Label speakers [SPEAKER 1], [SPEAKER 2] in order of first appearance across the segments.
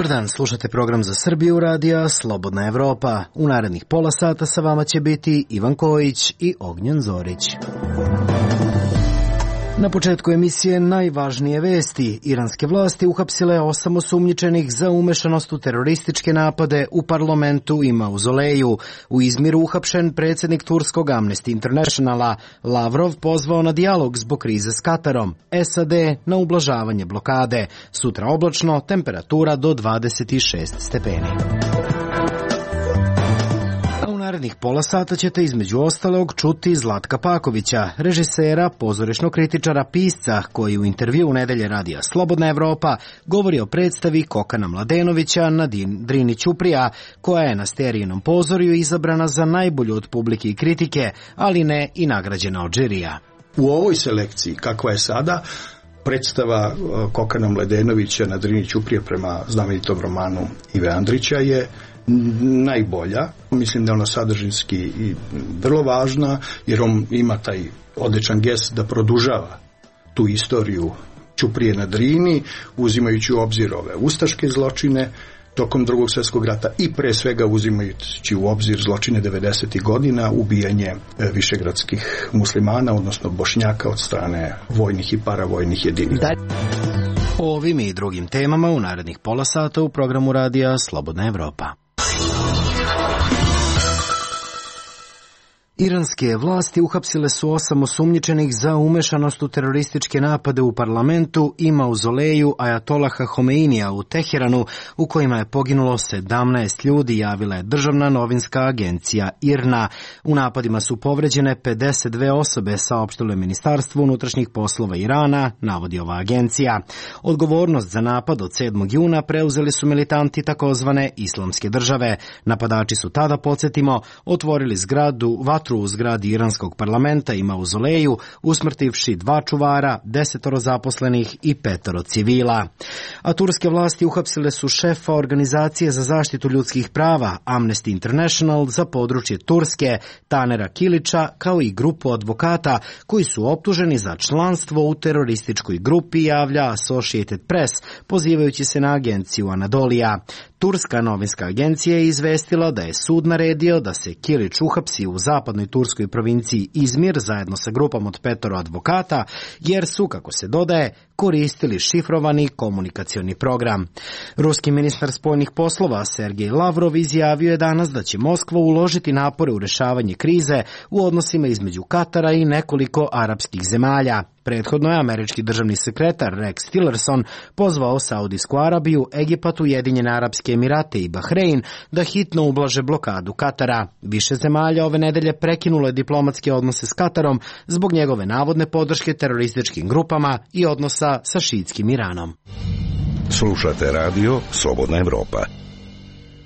[SPEAKER 1] Dobar dan, slušate program za Srbiju radija Slobodna Evropa. U narednih pola sata sa vama će biti Ivan Kojić i Ognjen Zorić. Na početku emisije najvažnije vesti. Iranske vlasti uhapsile 8 osumnjičenih za umešanost u terorističke napade u parlamentu i mauzoleju. U Izmiru uhapšen predsjednik turskog Amnesty Internationala. Lavrov pozvao na dijalog zbog krize s Katarom. SAD na ublažavanje blokade. Sutra oblačno, temperatura do 26 stepeni. Narednih pola sata ćete između ostalog čuti Zlatka Pakovića, režisera, pozorišnog kritičara, pisca, koji u intervju u Nedelje radija Slobodna Evropa govori o predstavi Kokana Mladenovića na Drini Ćuprija, koja je na Sterijinom pozorju izabrana za najbolju od publike i kritike, ali ne i nagrađena od žirija.
[SPEAKER 2] U ovoj selekciji, kakva je sada, predstava Kokana Mladenovića na Drini Ćuprije prema znamenitom romanu Ive Andrića je najbolja. Mislim da je ona sadržinski i vrlo važna, jer on ima taj odličan gest da produžava tu istoriju Ćuprije na Drini, uzimajući u obzir ove ustaške zločine tokom Drugog svjetskog rata i pre svega uzimajući u obzir zločine 90. godina, ubijanje višegradskih muslimana, odnosno Bošnjaka od strane vojnih i paravojnih jedinica.
[SPEAKER 1] O ovim i drugim temama u narednih pola sata u programu radija Slobodna Evropa. Iranske vlasti uhapsile su 8 osumnjičenih za umešanost u terorističke napade u parlamentu i mauzoleju Ajatolaha Homeinija u Teheranu, u kojima je poginulo 17 ljudi, javila je državna novinska agencija IRNA. U napadima su povređene 52 osobe, saopštilo je Ministarstvo unutrašnjih poslova Irana, navodi ova agencija. Odgovornost za napad od 7. juna preuzeli su militanti takozvane Islamske države. Napadači su tada, podsjetimo, otvorili vatru u zgradi iranskog parlamenta i mauzoleju, usmrtivši 2 čuvara, 10 zaposlenih i 5 civila. A turske vlasti uhapsile su šefa organizacije za zaštitu ljudskih prava Amnesty International za područje Turske, Tanera Kilića, kao i grupu advokata koji su optuženi za članstvo u terorističkoj grupi, javlja Associated Press, pozivajući se na agenciju Anadolija. Turska novinska agencija je izvestila da je sud naredio da se Kilić uhapsi u zapadnoj turskoj provinciji Izmir zajedno sa grupom od 5 advokata, jer su, kako se dodaje, koristili šifrovani komunikacioni program. Ruski ministar spoljnih poslova Sergej Lavrov izjavio je danas da će Moskva uložiti napore u rešavanje krize u odnosima između Katara i nekoliko arapskih zemalja. Prethodno je američki državni sekretar Rex Tillerson pozvao Saudijsku Arabiju, Egipat, Ujedinjene Arapske Emirate i Bahrein da hitno ublaže blokadu Katara. Više zemalja ove nedelje prekinulo je diplomatske odnose s Katarom zbog njegove navodne podrške terorističkim grupama i odnosa sa šiitskim Iranom.
[SPEAKER 3] Slušate radio Slobodna Evropa.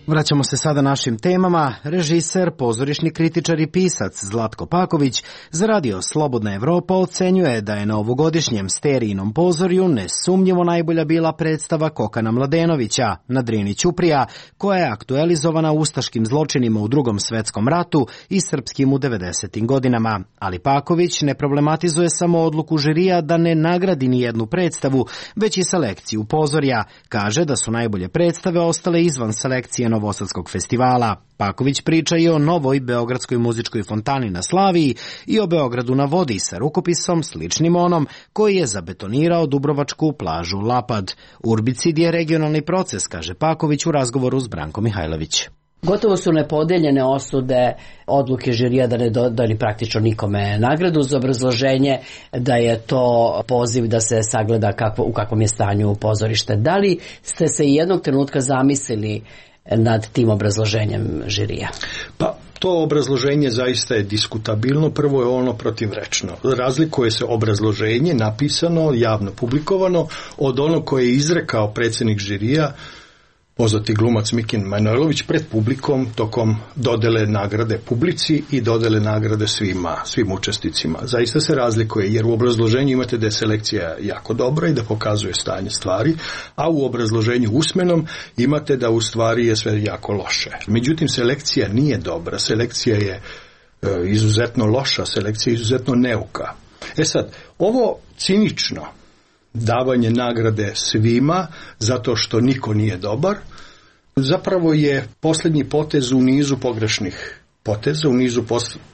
[SPEAKER 1] Vraćamo se sada našim temama. Režiser, pozorišni kritičar i pisac Zlatko Paković za radio Slobodna Evropa ocenjuje da je na ovogodišnjem Sterijinom pozorju nesumnjivo najbolja bila predstava Kokana Mladenovića na Drini Ćuprija, koja je aktualizovana ustaškim zločinima u Drugom svetskom ratu i srpskim u 90. godinama. Ali Paković ne problematizuje samo odluku žirija da ne nagradi ni jednu predstavu, već i selekciju pozorja. Kaže da su najbolje predstave ostale izvan selekcije Novosadskog festivala. Paković priča i o novoj Beogradskoj muzičkoj fontani na Slaviji i o Beogradu na vodi sa rukopisom sličnim onom koji je zabetonirao dubrovačku plažu Lapad. Urbicid je regionalni proces, kaže Paković u razgovoru s Brankom Mihajlović.
[SPEAKER 4] Gotovo su nepodeljene osude odluke žirija da ne dodali praktično nikome nagradu, uz obrazloženje da je to poziv da se sagleda u kakvom je stanju pozorište. Da li ste se jednog trenutka zamislili nad tim obrazloženjem žirija?
[SPEAKER 2] Pa to obrazloženje zaista je diskutabilno. Prvo je ono protivrečno. Razlikuje se obrazloženje napisano, javno publikovano, od onog koje je izrekao predsjednik žirija, poznati glumac Mikin Manojlović, pred publikom tokom dodele nagrade publici i dodele nagrade svim učesnicima. Zaista se razlikuje, jer u obrazloženju imate da je selekcija jako dobra i da pokazuje stanje stvari, a u obrazloženju usmenom imate da u stvari je sve jako loše. Međutim, selekcija nije dobra, selekcija je izuzetno loša, selekcija je izuzetno neuka. Sad, ovo cinično davanje nagrade svima zato što niko nije dobar, zapravo je posljednji potez u nizu pogrešnih poteza, u nizu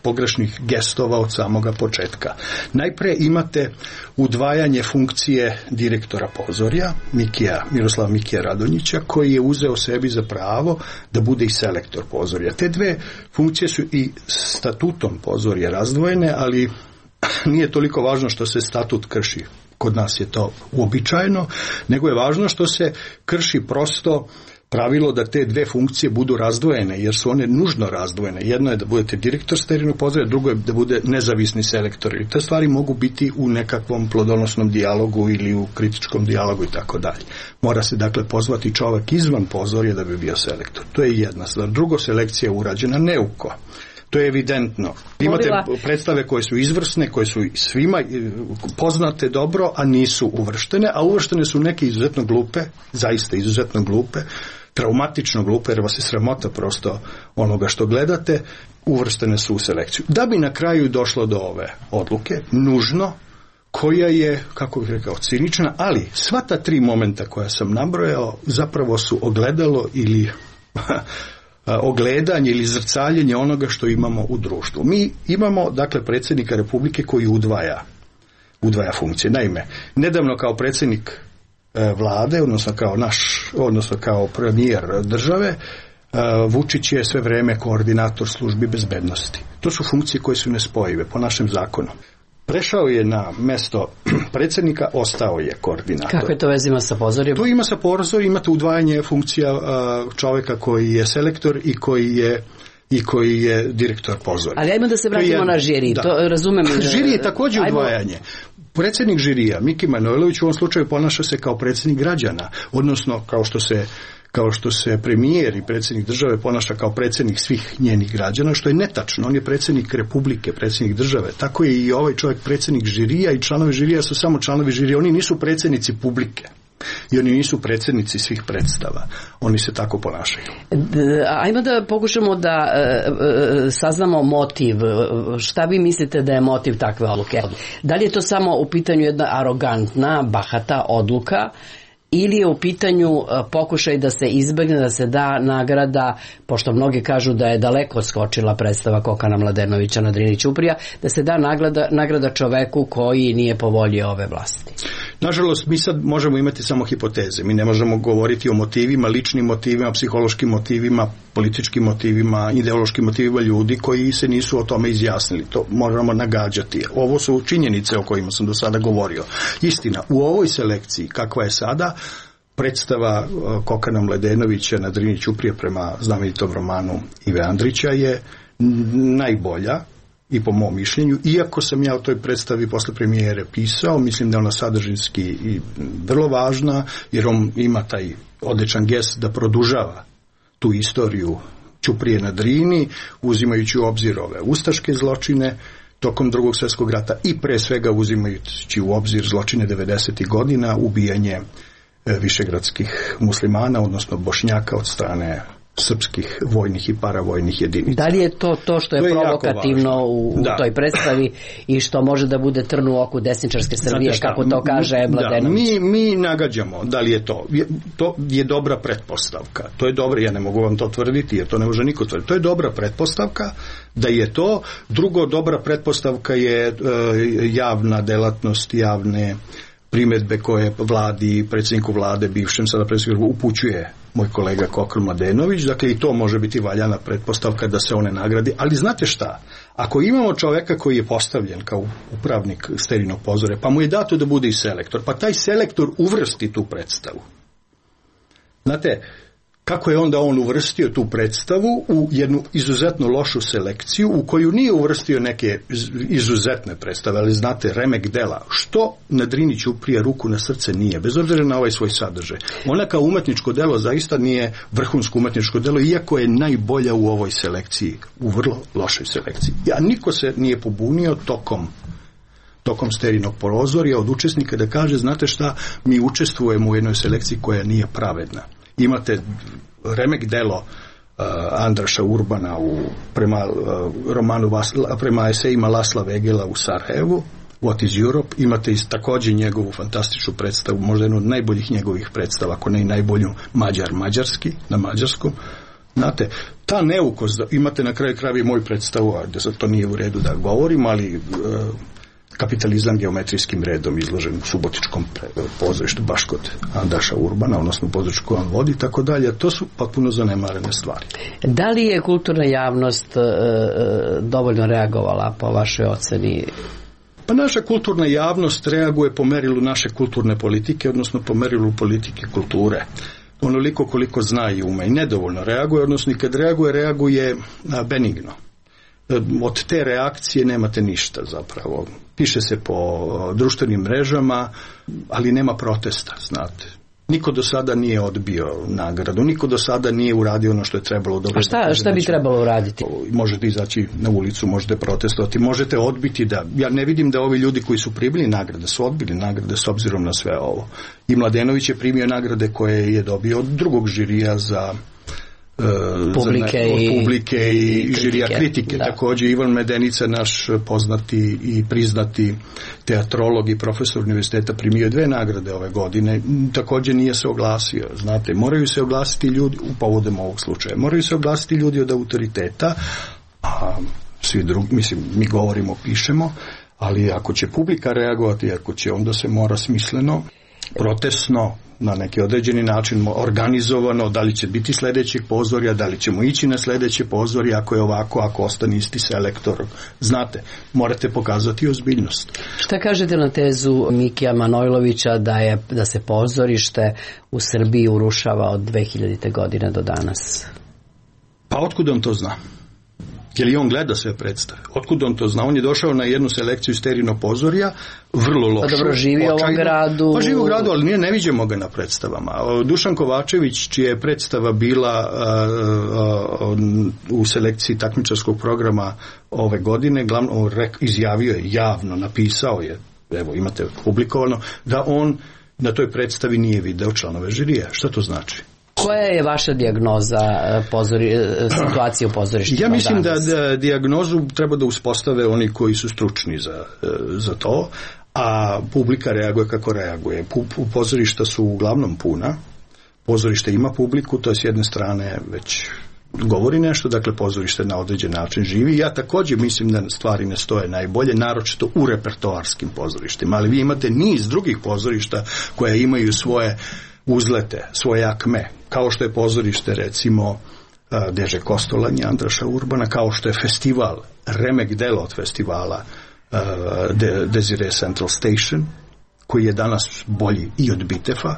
[SPEAKER 2] pogrešnih gestova od samoga početka. Najpre imate udvajanje funkcije direktora pozorja, Miroslava Mikija Radonjića, koji je uzeo sebi za pravo da bude i selektor pozorja. Te dve funkcije su i statutom pozorja razdvojene, ali nije toliko važno što se statut krši. Kod nas je to uobičajeno, nego je važno što se krši prosto pravilo da te dve funkcije budu razdvojene, jer su one nužno razdvojene. Jedno je da budete direktor sterilnog pozorja, drugo je da bude nezavisni selektor. I te stvari mogu biti u nekakvom plodonosnom dijalogu ili u kritičkom dijalogu i tako dalje. Mora se dakle pozvati čovjek izvan pozorja da bi bio selektor. To je jedna stvar. Drugo, selekcija je urađena neuko. To je evidentno. Imate predstave koje su izvrsne, koje su svima poznate dobro, a nisu uvrštene, a uvrštene su neke izuzetno glupe, zaista izuzetno glupe, traumatično glupe, jer vas je sramota prosto onoga što gledate, uvrštene su u selekciju. Da bi na kraju došlo do ove odluke, nužno, koja je, kako bih rekao, cinična, ali sva ta tri momenta koja sam nabrojao zapravo su ogledalo ili ogledanje ili zrcaljenje onoga što imamo u društvu. Mi imamo, dakle, predsjednika Republike koji udvaja funkcije. Naime, nedavno kao predsjednik vlade, odnosno kao premijer države, Vučić je sve vrijeme koordinator službi bezbednosti. To su funkcije koje su nespojive po našem zakonu. Prešao je na mesto predsjednika, ostao je koordinator.
[SPEAKER 4] Kako je to veze ima sa pozorjem?
[SPEAKER 2] To ima sa pozorjem, imate udvajanje funkcija čovjeka koji je selektor i koji je direktor pozorja.
[SPEAKER 4] Ali ajmo da se vratimo na žiri. Da. To razumem.
[SPEAKER 2] Žiri je također udvajanje. Predsjednik žirija, Miki Manojlović, u ovom slučaju ponaša se kao predsjednik građana, odnosno kao što se premijer i predsjednik države ponaša kao predsjednik svih njenih građana, što je netačno. On je predsjednik Republike, predsjednik države. Tako je i ovaj čovjek predsjednik žirija i članovi žirija su samo članovi žirija. Oni nisu predsjednici publike. I oni nisu predsjednici svih predstava. Oni se tako ponašaju.
[SPEAKER 4] Ajmo da pokušamo da saznamo motiv. Šta vi mislite da je motiv takve odluke? Da li je to samo u pitanju jedna arogantna, bahata odluka, ili je u pitanju pokušaj da se izbegne, da se da nagrada, pošto mnogi kažu da je daleko skočila predstava Kokana Mladenovića na Drini Ćuprija, da se da nagrada čoveku koji nije po volji ove vlasti?
[SPEAKER 2] Nažalost, mi sad možemo imati samo hipoteze. Mi ne možemo govoriti o motivima, ličnim motivima, psihološkim motivima, političkim motivima, ideološkim motivima ljudi koji se nisu o tome izjasnili. To možemo nagađati. Ovo su činjenice o kojima sam do sada govorio. Istina, u ovoj selekciji, kakva je sada, predstava Kokana Mladenovića na Drini Ćuprije prema znamenitom romanu Ive Andrića je najbolja, i po mom mišljenju, iako sam ja o toj predstavi posle premijere pisao, mislim da je ona sadržinski i vrlo važna, jer on ima taj odličan gest da produžava tu istoriju Ćuprije na Drini, uzimajući u obzir ove ustaške zločine tokom Drugog svjetskog rata i pre svega uzimajući u obzir zločine 90. godina, ubijanje višegradskih muslimana, odnosno Bošnjaka od strane srpskih vojnih i paravojnih jedinica.
[SPEAKER 4] Da li je to što je provokativno u toj predstavi i što može da bude trn u oku desničarske Srbije, kako to kaže Mladenović?
[SPEAKER 2] Mi nagađamo da li je to. To je dobra pretpostavka. To je dobro, ja ne mogu vam to tvrditi, jer to ne može niko tvrditi. To je dobra pretpostavka da je to. Drugo, dobra pretpostavka je javna delatnost, javne primjedbe koje vladi, predsjedniku vlade, bivšem sada predsjedniku, upućuje moj kolega Kokan Mladenović. Dakle, i to može biti valjana pretpostavka da se one nagradi. Ali znate šta? Ako imamo čovjeka koji je postavljen kao upravnik sterilnog pozorja, pa mu je dato da bude i selektor, pa taj selektor uvrsti tu predstavu. Znate, kako je onda on uvrstio tu predstavu u jednu izuzetno lošu selekciju u koju nije uvrstio neke izuzetne predstave, ali znate, remek dela, što na Drini Ćuprija ruku na srce nije, bez obzira na ovaj svoj sadržaj. Ona kao umetničko delo zaista nije vrhunsko umetničko delo, iako je najbolja u ovoj selekciji, u vrlo lošoj selekciji. A niko se nije pobunio tokom sterilnog pozorja od učesnika da kaže, znate šta, mi učestvujemo u jednoj selekciji koja nije pravedna. Imate remek delo Andraša Urbana prema esejima Lasla Vegela u Sarajevu, What is Europe, imate također njegovu fantastičnu predstavu, možda jednu od najboljih njegovih predstava, ako ne i najbolju, Mađarski, na mađarskom. Znate, ta neukost, imate na kraju krajeva i moju predstavu, a da sad to nije u redu da govorim, ali kapitalizam geometrijskim redom izložen u Subotičkom pozorištu baš kod Andaša Urbana, odnosno pozorištu koju on vodi, tako dalje. To su potpuno zanemarene stvari.
[SPEAKER 4] Da li je kulturna javnost dovoljno reagovala po vašoj oceni?
[SPEAKER 2] Pa naša kulturna javnost reaguje po merilu naše kulturne politike, odnosno po merilu politike kulture. Onoliko koliko zna i ume i nedovoljno reaguje, odnosno i kad reaguje benigno. Od te reakcije nemate ništa zapravo. Piše se po društvenim mrežama, ali nema protesta, znate. Niko do sada nije odbio nagradu, niko do sada nije uradio ono što je trebalo.
[SPEAKER 4] A šta bi trebalo uraditi?
[SPEAKER 2] Možete izaći na ulicu, možete protestovati, možete odbiti ja ne vidim da ovi ljudi koji su primili nagrade su odbili nagrade s obzirom na sve ovo. I Mladenović je primio nagrade koje je dobio od drugog žirija za publike i žirija kritike. Da. Također Ivan Medenica, naš poznati i priznati teatrolog i profesor univerziteta, primio 2 nagrade ove godine. Također nije se oglasio. Znate, moraju se oglasiti ljudi u povodom ovog slučaja. Moraju se oglasiti ljudi od autoriteta, a svi drugi, mislim, mi govorimo, pišemo, ali ako će publika reagovati, ako će, onda se mora smisleno, protestno, na neki određeni način organizovano, da li će biti sljedećeg pozorja, da li ćemo ići na sljedeće pozorje, ako je ovako, ako ostane isti selektor. Znate, morate pokazati ozbiljnost.
[SPEAKER 4] Šta kažete na tezu Mikija Manojlovića da se pozorište u Srbiji urušava od 2000. godine do danas?
[SPEAKER 2] Pa otkud on to zna? Je li on gleda sve predstave? Otkud on to zna? On je došao na jednu selekciju Sterino pozorja, vrlo lošu.
[SPEAKER 4] Pa dobro, živi u ovom gradu.
[SPEAKER 2] Pa živi u gradu, ali ne viđemo ga na predstavama. Dušan Kovačević, čija je predstava bila u selekciji takmičarskog programa ove godine, izjavio je, javno napisao je, evo imate publikovano, da on na toj predstavi nije video članove žirija. Šta to znači?
[SPEAKER 4] Koja je vaša dijagnoza situacije u pozorištima?
[SPEAKER 2] Ja mislim da dijagnozu treba da uspostave oni koji su stručni za to, a publika reaguje kako reaguje. Pozorišta su uglavnom puna, pozorište ima publiku, to je s jedne strane već govori nešto, dakle pozorište na određen način živi. Ja također mislim da stvari ne stoje najbolje, naročito u repertoarskim pozorištima, ali vi imate niz drugih pozorišta koja imaju svoje uzlete, svoje akme, kao što je pozorište recimo Deže Kostolanje Andraša Urbana, kao što je festival, remek delo od festivala Desire Central Station, koji je danas bolji i od Bitefa,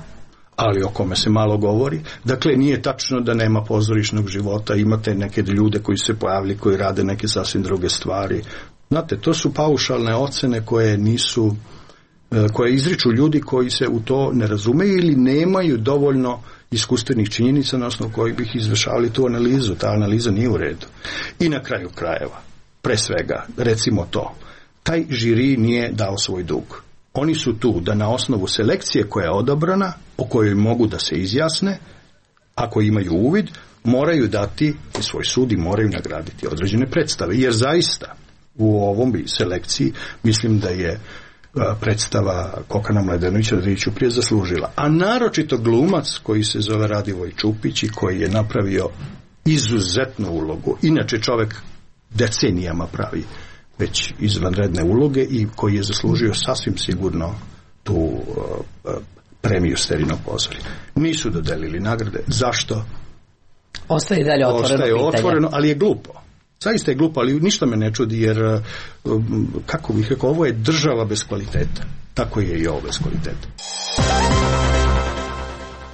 [SPEAKER 2] ali o kome se malo govori. Dakle, nije tačno da nema pozorišnog života, imate neke ljude koji se pojavili, koji rade neke sasvim druge stvari. Znate, to su paušalne ocene koje izriču ljudi koji se u to ne razumeju ili nemaju dovoljno iskustvenih činjenica na osnovu kojih bih izvršavali tu analizu. Ta analiza nije u redu. I na kraju krajeva, pre svega, recimo to, taj žiri nije dao svoj dug. Oni su tu da na osnovu selekcije koja je odabrana, o kojoj mogu da se izjasne, ako imaju uvid, moraju dati svoj sud i moraju nagraditi određene predstave. Jer zaista u ovom selekciji mislim da je predstava Kokana Mladenovića Radriću prije zaslužila. A naročito glumac koji se zove Radivoj Čupić i koji je napravio izuzetnu ulogu. Inače čovjek decenijama pravi već izvanredne uloge i koji je zaslužio sasvim sigurno tu premiju Sterino pozorje. Nisu dodelili nagrade. Zašto?
[SPEAKER 4] Ostaje dalje
[SPEAKER 2] otvoreno, ali je glupo. Zaista je glupo, ali ništa me ne čudi, jer, kako bih rekao, ovo je država bez kvaliteta. Tako je i ovo bez kvaliteta.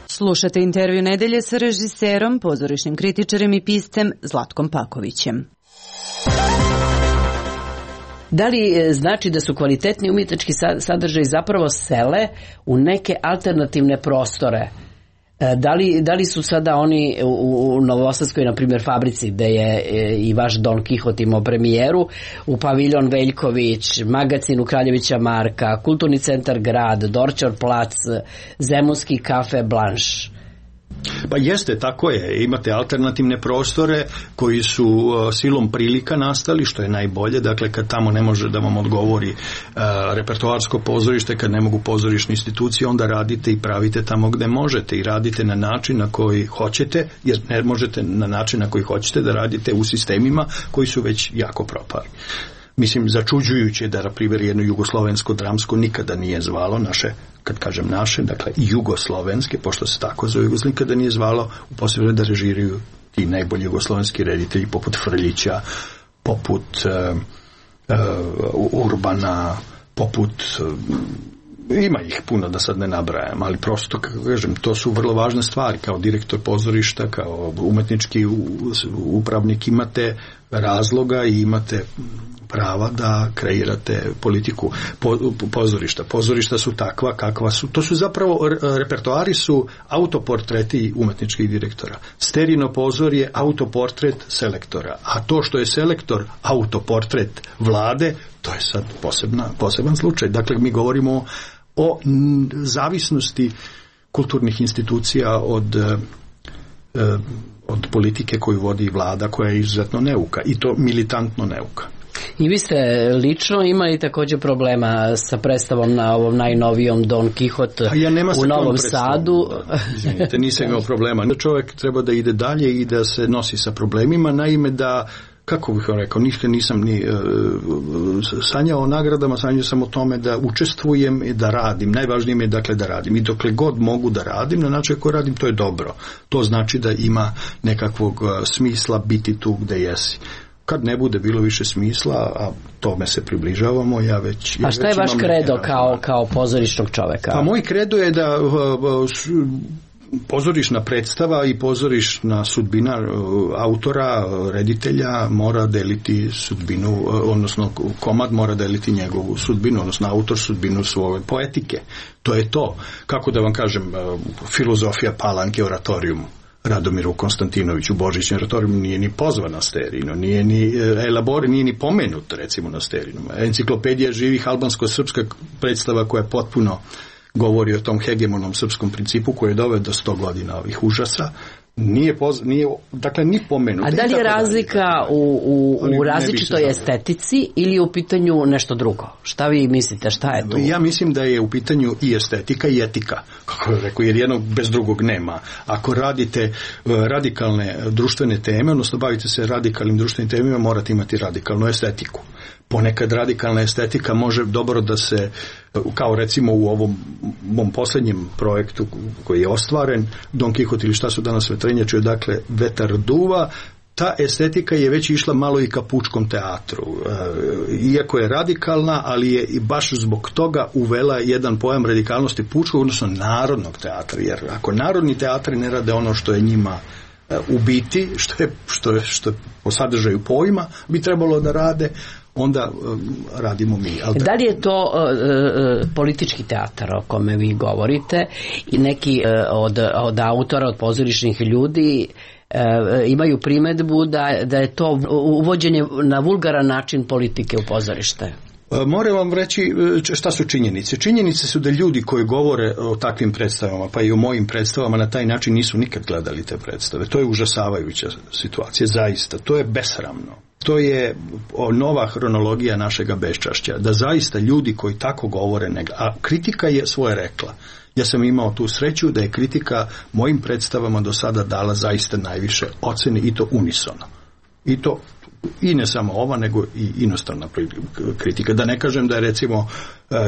[SPEAKER 5] Slušate intervju nedelje sa režiserom, pozorišnim kritičarem i piscem Zlatkom Pakovićem.
[SPEAKER 4] Da li znači da su kvalitetni umjetnički sadržaji zapravo sele u neke alternativne prostore? Da li su sada oni u Novosadskoj, na primjer, fabrici, gde je i vaš Don Kihot imao premijeru, u paviljon Veljković, magacin u Kraljevića Marka, kulturni centar Grad, Dorčar plac, Zemunski kafe Blanš?
[SPEAKER 2] Pa jeste, tako je. Imate alternativne prostore koji su silom prilika nastali, što je najbolje. Dakle, kad tamo ne može da vam odgovori repertoarsko pozorište, kad ne mogu pozorišne institucije, onda radite i pravite tamo gde možete i radite na način na koji hoćete, jer ne možete na način na koji hoćete da radite u sistemima koji su već jako propali. Mislim, začuđujuće da, na primjer, jedno jugoslovensko dramsko nikada nije zvalo naše, kad kažem naše, dakle jugoslovenske, pošto se tako zove, nikada nije zvalo u posebno da režiraju ti najbolji jugoslovenski reditelji poput Frljića, poput Urbana, poput ima ih puno da sad ne nabrajam, ali prosto, kako kažem, to su vrlo važne stvari. Kao direktor pozorišta, kao umetnički upravnik imate razloga i imate prava da kreirate politiku pozorišta. Pozorišta su takva kakva su. To su zapravo, repertoari su autoportreti umetničkih direktora. Sterino pozor je autoportret selektora. A to što je selektor autoportret vlade, to je sad poseban slučaj. Dakle, mi govorimo o zavisnosti kulturnih institucija od politike koju vodi vlada, koja je izuzetno neuka i to militantno neuka.
[SPEAKER 4] I vi ste lično imali također problema sa predstavom na ovom najnovijom Don Quixote u Novom Sadu.
[SPEAKER 2] Izvinite, nisam imao problema. Čovjek treba da ide dalje i da se nosi sa problemima, naime da, kako bih vam rekao, nisam ni sanjao o nagradama, sanjao sam o tome da učestvujem i da radim. Najvažnije mi je, dakle, da radim. I dokle god mogu da radim, na način koji radim, to je dobro. To znači da ima nekakvog smisla biti tu gde jesi. Kad ne bude bilo više smisla, a tome se približavamo, ja već...
[SPEAKER 4] A šta je vaš kredo kao pozorišnog čoveka?
[SPEAKER 2] Pa moj kredo je da pozorišna predstava i pozorišna sudbina autora, reditelja mora deliti sudbinu, odnosno komad mora deliti njegovu sudbinu, odnosno autor sudbinu svoje poetike. To je to. Kako da vam kažem, filozofija Palanke oratorijum. Radomiru Konstantinoviću Božićem oratorijum nije ni pozvan na Sterinu, nije ni elabor, nije ni pomenut recimo na Sterinu. Enciklopedija živih albansko-srpska predstava koja potpuno govori o tom hegemonom srpskom principu koji je doveo do 100 godina ovih užasa, nije dakle ni pomenut.
[SPEAKER 4] A da li je razlika u različitoj estetici ili u pitanju nešto drugo? Šta vi mislite, šta je tu?
[SPEAKER 2] Ja mislim da je u pitanju i estetika i etika, kako je rekao, jer jednog bez drugog nema. Ako radite radikalne društvene teme, odnosno bavite se radikalnim društvenim temima, morate imati radikalnu estetiku. Ponekad radikalna estetika može dobro da se, kao recimo u ovom mom posljednjem projektu koji je ostvaren, Don Quixote ili šta su danas vetrenjače, dakle vetar duva, ta estetika je već išla malo i ka pučkom teatru. Iako je radikalna, ali je i baš zbog toga uvela jedan pojam radikalnosti pučkog, odnosno narodnog teatra. Jer ako narodni teatri ne rade ono što je njima u biti, što po sadržaju pojma bi trebalo da rade, onda radimo mi.
[SPEAKER 4] Da li je to politički teatar o kome vi govorite i neki od autora, od pozorišnih ljudi imaju primedbu da je to uvođenje na vulgaran način politike u pozorište?
[SPEAKER 2] Moram vam reći šta su činjenice. Činjenice su da ljudi koji govore o takvim predstavama, pa i o mojim predstavama, na taj način nisu nikad gledali te predstave. To je užasavajuća situacija, zaista. To je besramno. To je nova hronologija našega beščašća. Da zaista ljudi koji tako govore, a kritika je svoje rekla. Ja sam imao tu sreću da je kritika mojim predstavama do sada dala zaista najviše ocene i to unisono. I ne samo ova, nego i inostrana kritika. Da ne kažem da je recimo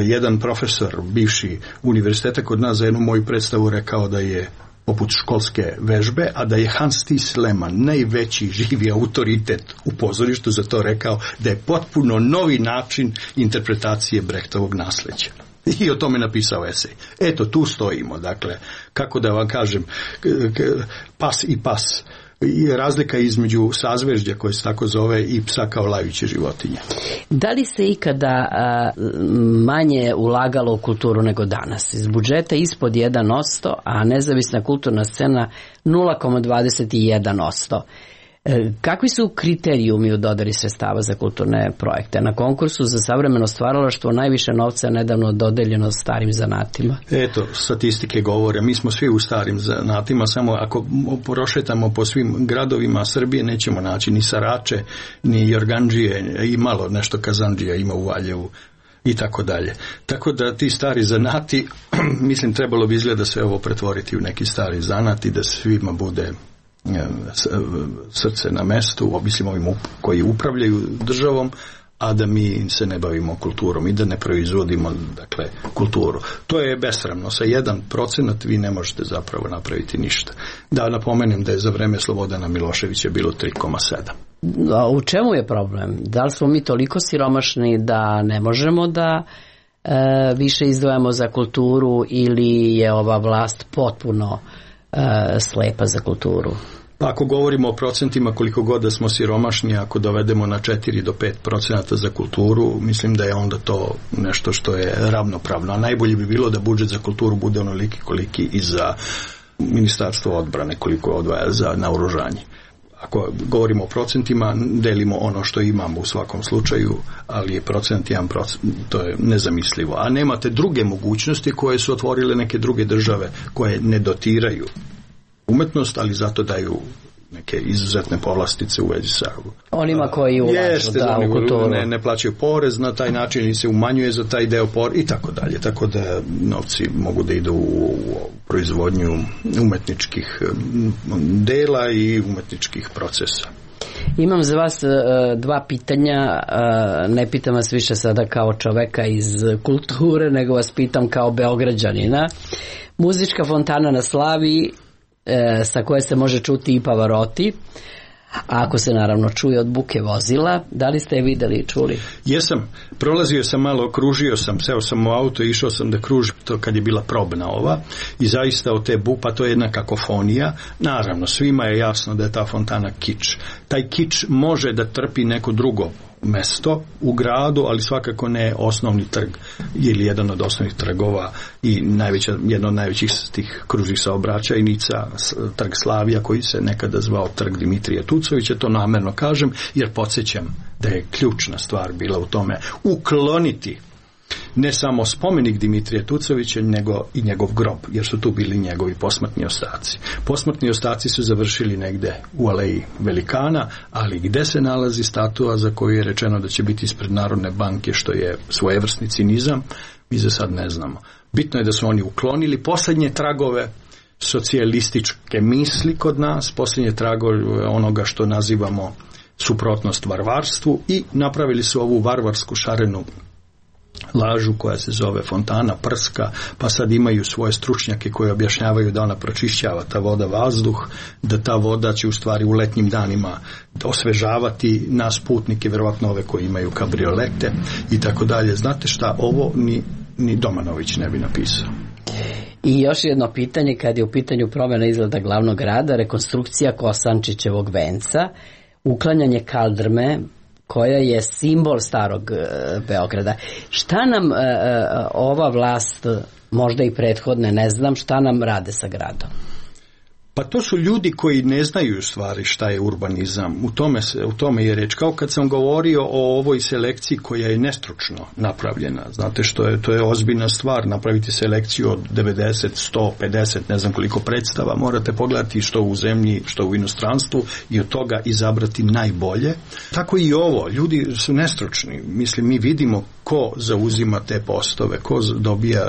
[SPEAKER 2] jedan profesor bivši univerziteta kod nas za jednu moju predstavu rekao da je poput školske vežbe, a da je Hans Thies Lehmann, najveći živi autoritet u pozorištu, za to rekao da je potpuno novi način interpretacije Brechtovog nasleđa. I o tome napisao esej. Eto, tu stojimo, dakle, kako da vam kažem, pas i pas. I razlika između sazvežđa koje se tako zove i psa kao lajuće životinje.
[SPEAKER 4] Da li se ikada manje ulagalo u kulturu nego danas? Iz budžeta ispod 1%, a nezavisna kulturna scena 0,21%. Kakvi su kriterijumi u dodeli sredstava za kulturne projekte? Na konkursu za savremeno stvaralaštvo najviše novca je nedavno dodeljeno starim zanatima.
[SPEAKER 2] Eto, statistike govore, mi smo svi u starim zanatima, samo ako prošetamo po svim gradovima Srbije nećemo naći ni sarače, ni jorgandžije, i malo nešto kazandžija ima u Valjevu i tako dalje. Tako da ti stari zanati, mislim, trebalo bi izgleda sve ovo pretvoriti u neki stari zanat i da svima bude srce na mestu, mislim ovim koji upravljaju državom, a da mi se ne bavimo kulturom i da ne proizvodimo, dakle, kulturu. To je besramno. Sa 1% vi ne možete zapravo napraviti ništa. Da napomenem da je za vreme Slobodana Miloševića bilo 3,7.
[SPEAKER 4] A u čemu je problem? Da li smo mi toliko siromašni da ne možemo da više izdvajamo za kulturu, ili je ova vlast potpuno slepa za kulturu?
[SPEAKER 2] Pa ako govorimo o procentima, koliko god da smo siromašni, ako dovedemo na 4 do 5% za kulturu, mislim da je onda to nešto što je ravnopravno. A najbolje bi bilo da budžet za kulturu bude onoliki koliki i za Ministarstvo odbrane, koliko odvaja za naoružanje. Ako govorimo o procentima, delimo ono što imamo u svakom slučaju, ali je procent 1%, to je nezamislivo. A nemate druge mogućnosti koje su otvorile neke druge države koje ne dotiraju umetnost, ali zato daju neke izuzetne povlastice u vezi sa
[SPEAKER 4] onima koji ulažu u kulturu.
[SPEAKER 2] Ne plaćaju porez na taj način i se umanjuje za taj deo porez i tako dalje. Tako da novci mogu da idu u proizvodnju umetničkih dela i umetničkih procesa.
[SPEAKER 4] Imam za vas dva pitanja, ne pitam vas više sada kao čoveka iz kulture, nego vas pitam kao Beograđanina. Muzička fontana na Slaviji, sa koje se može čuti i Pavarotti, a ako se naravno čuje od buke vozila, da li ste je videli i čuli?
[SPEAKER 2] Jesam, prolazio sam malo, kružio sam, seo sam u auto i išao sam da kružim to kad je bila probna ova i zaista od te bupa, to je jedna kakofonija. Naravno, svima je jasno da je ta fontana kič. Taj kič može da trpi neko drugo mesto u gradu, ali svakako ne osnovni trg ili jedan od osnovnih trgova i jedna od najvećih tih kružnih saobraćajnica, trg Slavija, koji se nekada zvao trg Dimitrija Tucovića. To namerno kažem jer podsjećam da je ključna stvar bila u tome ukloniti ne samo spomenik Dimitrija Tucovića, nego i njegov grob, jer su tu bili njegovi posmrtni ostaci. Posmrtni ostaci su završili negde u aleji Velikana, ali gde se nalazi statua za koju je rečeno da će biti ispred Narodne banke, što je svojevrsni cinizam, mi za sad ne znamo. Bitno je da su oni uklonili poslednje tragove socijalističke misli kod nas, poslednje tragove onoga što nazivamo suprotnost varvarstvu i napravili su ovu varvarsku šarenu lažu koja se zove fontana prska, pa sad imaju svoje stručnjake koji objašnjavaju da ona pročišćava ta voda vazduh, da ta voda će u stvari u letnjim danima osvežavati nas putnike, verovatno ove koji imaju kabriolete i tako dalje. Znate šta, ovo ni Domanović ne bi napisao.
[SPEAKER 4] I još jedno pitanje, kad je u pitanju promjena izgleda glavnog grada, rekonstrukcija Kosančićevog venca, uklanjanje kaldrme, koja je simbol starog Beograda. Šta nam ova vlast, možda i prethodne, ne znam, šta nam rade sa gradom?
[SPEAKER 2] Pa to su ljudi koji ne znaju u stvari šta je urbanizam. U tome je reč. Kao kad sam govorio o ovoj selekciji koja je nestručno napravljena. Znate to je ozbiljna stvar. Napraviti selekciju od 90, 150, ne znam koliko predstava. Morate pogledati što u zemlji, što u inostranstvu i od toga izabrati najbolje. Tako i ovo. Ljudi su nestručni. Mislim, mi vidimo ko zauzima te postove, ko dobija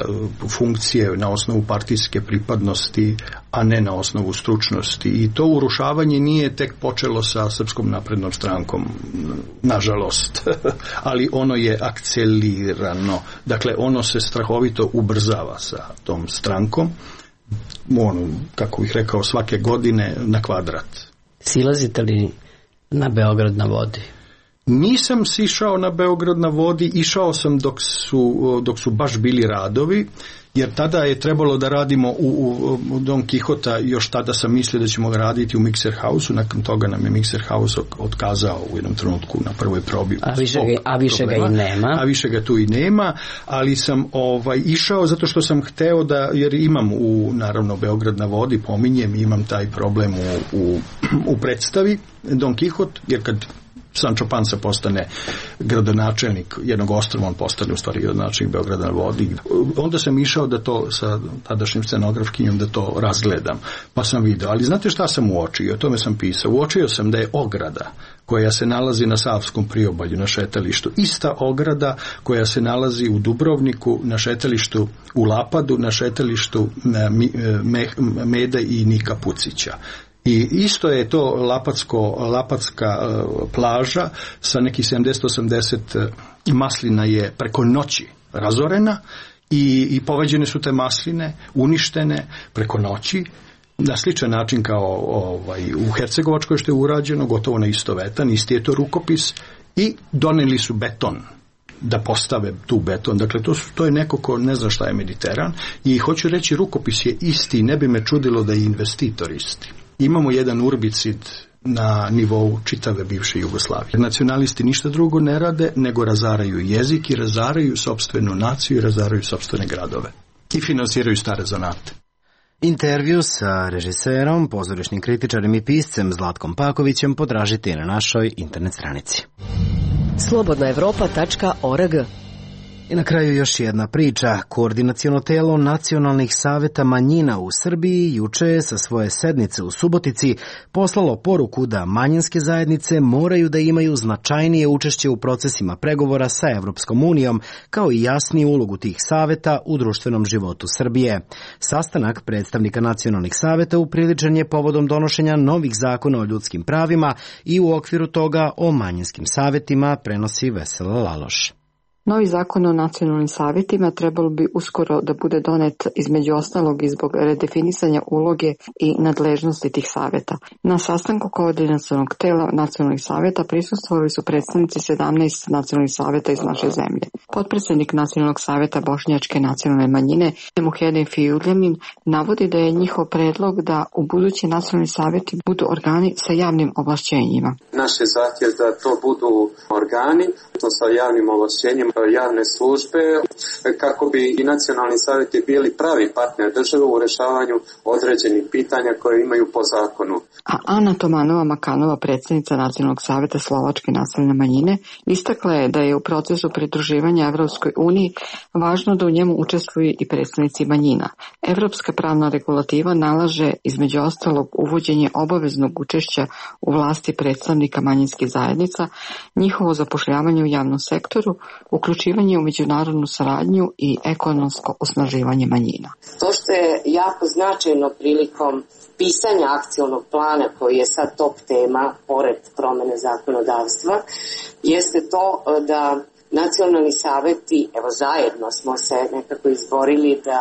[SPEAKER 2] funkcije na osnovu partijske pripadnosti, a ne na osnovu stručnosti. I to urušavanje nije tek počelo sa Srpskom naprednom strankom, nažalost, ali ono je akcelirano. Dakle, ono se strahovito ubrzava sa tom strankom, kako bih rekao, svake godine na kvadrat.
[SPEAKER 4] Silazite li na Beograd na vodi?
[SPEAKER 2] Nisam sišao na Beograd na vodi, išao sam dok su baš bili radovi, jer tada je trebalo da radimo u Don Quixota, još tada sam mislio da ćemo raditi u Mixer House-u, nakon toga nam je Mixer House otkazao u jednom trenutku na prvoj probi.
[SPEAKER 4] A više ga i nema.
[SPEAKER 2] A više ga tu i nema, ali sam išao zato što sam hteo jer imam naravno Beograd na vodi, pominjem, imam taj problem u predstavi Don Quixote, jer kad Sancho Panza postane gradonačelnik jednog ostrva, on postane u stvari gradonačelnik Beograda na vodi. Onda sam išao da to sa tadašnjim scenografkinjom da to razgledam, pa sam video. Ali znate šta sam uočio? O tome sam pisao. Uočio sam da je ograda koja se nalazi na Savskom priobalju, na šetalištu, ista ograda koja se nalazi u Dubrovniku, na šetalištu u Lapadu, na šetalištu Mede i Nika Pucića. I isto je to lapatska plaža sa nekih 70-80 maslina je preko noći razorena i poveđene su te masline, uništene preko noći, na sličan način kao u Hercegovačkoj što je urađeno, gotovo na istovetan, isti je to rukopis, i doneli su beton da postave tu beton. Dakle, to je neko ko ne zna šta je Mediteran, i hoću reći, rukopis je isti, ne bi me čudilo da je investitor isti. Imamo jedan urbicid na nivou čitave bivše Jugoslavije. Nacionalisti ništa drugo ne rade nego razaraju jezik i razaraju sopstvenu naciju i razaraju sopstvene gradove. I finansiraju stare zanate.
[SPEAKER 1] Intervju sa režiserom, pozorišnim kritičarem i piscem Zlatkom Pakovićem potražite na našoj internet stranici.
[SPEAKER 6] slobodnaevropa.org.
[SPEAKER 1] I na kraju još jedna priča. Koordinaciono telo nacionalnih saveta manjina u Srbiji juče je sa svoje sednice u Subotici poslalo poruku da manjinske zajednice moraju da imaju značajnije učešće u procesima pregovora sa Evropskom unijom, kao i jasniju ulogu tih saveta u društvenom životu Srbije. Sastanak predstavnika nacionalnih saveta upriličen je povodom donošenja novih zakona o ljudskim pravima i u okviru toga o manjinskim savetima, prenosi Vesela Laloš.
[SPEAKER 7] Novi zakon o nacionalnim savjetima trebalo bi uskoro da bude donet, između ostalog i zbog redefinisanja uloge i nadležnosti tih savjeta. Na sastanku koordinacionog tela nacionalnih savjeta prisustvovali su predstavnici 17 nacionalnih savjeta iz naše zemlje. Potpredsjednik nacionalnog savjeta Bošnjačke nacionalne manjine, Muhedin Fijuljamin, navodi da je njihov predlog da u budući nacionalni savjeti budu organi sa javnim ovlašćenjima.
[SPEAKER 8] Naš je zahtjev da to budu organi, to sa javnim ovlašćenjima, javne službe, kako bi i nacionalni savjeti bili pravi partner države u rješavanju određenih pitanja koje imaju po zakonu.
[SPEAKER 7] A Ana Tomanova Makanova, predsjednica Nacionalnog savjeta Slovačke nacionalne manjine, istakla je da je u procesu pridruživanja Evropskoj uniji važno da u njemu učestvuju i predstavnici manjina. Evropska pravna regulativa nalaže između ostalog uvođenje obaveznog učešća u vlasti predstavnika manjinskih zajednica, njihovo zapošljavanje u javnom sektoru, uključivanje u međunarodnu saradnju i ekonomsko osnaživanje manjina.
[SPEAKER 9] To što je jako značajno prilikom pisanja akcionog plana, koji je sad top tema, pored promene zakonodavstva, jeste to da nacionalni saveti, evo zajedno smo se nekako izborili da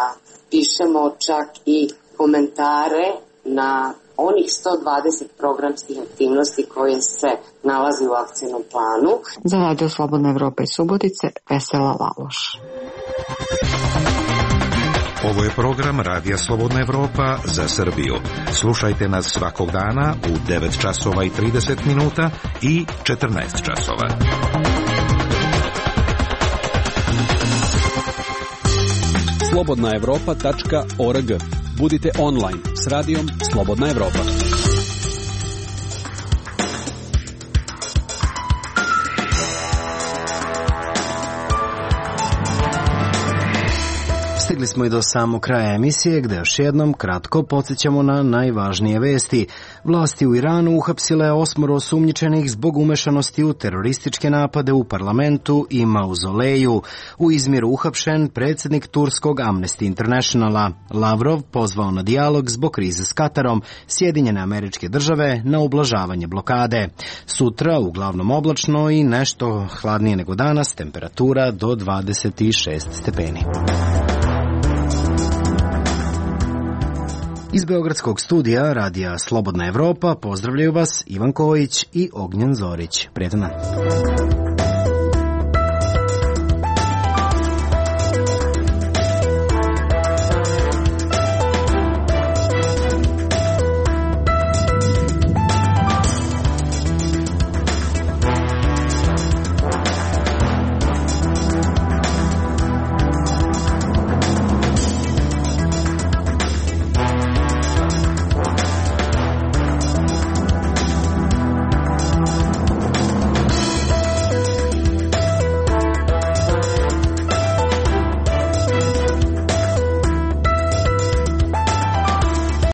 [SPEAKER 9] pišemo čak i komentare na onih 120 programskih aktivnosti koje se nalazi u akcijnom planu.
[SPEAKER 7] Za Radio Slobodna Evropa iz Subotice, Vesela Laloš.
[SPEAKER 3] Ovo je program Radija Slobodna Evropa za Srbiju. Slušajte nas svakog dana u 9 časova i 30 minuta i 14 časova.
[SPEAKER 10] slobodnaevropa.org. Budite online s radijom Slobodna Evropa.
[SPEAKER 1] Stigli smo i do samog kraja emisije, gde još jednom kratko podsjećamo na najvažnije vesti. Vlasti u Iranu uhapsile 8 osumnjičenih zbog umešanosti u terorističke napade u parlamentu i mauzoleju. U Izmiru uhapšen predsjednik turskog Amnesty Internationala. Lavrov pozvao na dijalog zbog krize s Katarom, Sjedinjene Američke Države na ublažavanje blokade. Sutra uglavnom oblačno i nešto hladnije nego danas, temperatura do 26 stepeni. Iz Beogradskog studija radija Slobodna Evropa pozdravljaju vas Ivan Kojić i Ognjen Zorić. Prijetan dan.